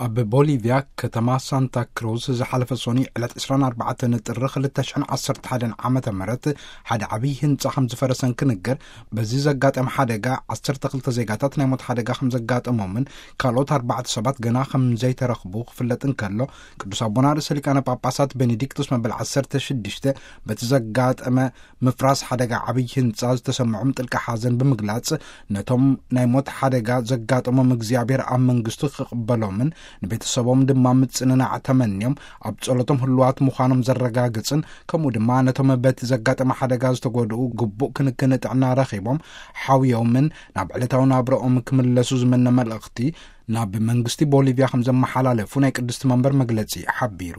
ኣብ ቦሊቪያ ከተማ ሳንታ ክሩዝ ዝሓለፈ ሶኒ ዕለት ዕስራን ኣርባዕተን ጥሪ ክልተ ሽሕን ዓሰርተ ሓደን ዓመተ ምህረት ሓደ ዓብዪ ህንጻ ከም ዝፈረሰን ክንገር፣ በዚ ዘጋጠመ ሓደጋ ዓሰርተ ክልተ ዜጋታት ናይ ሞት ሓደጋ ከም ዘጋጠሞምን ካልኦት ኣርባዕተ ሰባት ገና ከም ዘይተረኽቡ ክፍለጥ እንከሎ፣ ቅዱስ ኣቦና ርእሰ ሊቃነ ጳጳሳት ቤኔዲክቶስ መበል ዓሰርተ ሽዱሽተ በቲ ዘጋጠመ ምፍራስ ሓደጋ ዓብዪ ህንጻ ዝተሰምዖም ጥልቂ ሓዘን ብምግላጽ፣ ነቶም ናይ ሞት ሓደጋ ዘጋጠሞም እግዚኣብሔር ኣብ መንግስቱ ክቕበሎምን ንቤተሰቦም ድማ ምጽንናዕ ተመንዮም ኣብ ጸሎቶም ህልዋት ምዃኖም ዘረጋግጽን፣ ከምኡ ድማ ነቶም በቲ ዘጋጠመ ሓደጋ ዝተጎድኡ ግቡእ ክንክን ጥዕና ረኺቦም ሓውዮምን ናብ ዕለታዊ ናብረኦም ክምለሱ ዝምነ መልእኽቲ ናብ መንግስቲ ቦሊቪያ ከም ዘመሓላለፉ ናይ ቅድስቲ መንበር መግለጺ ሓቢሩ።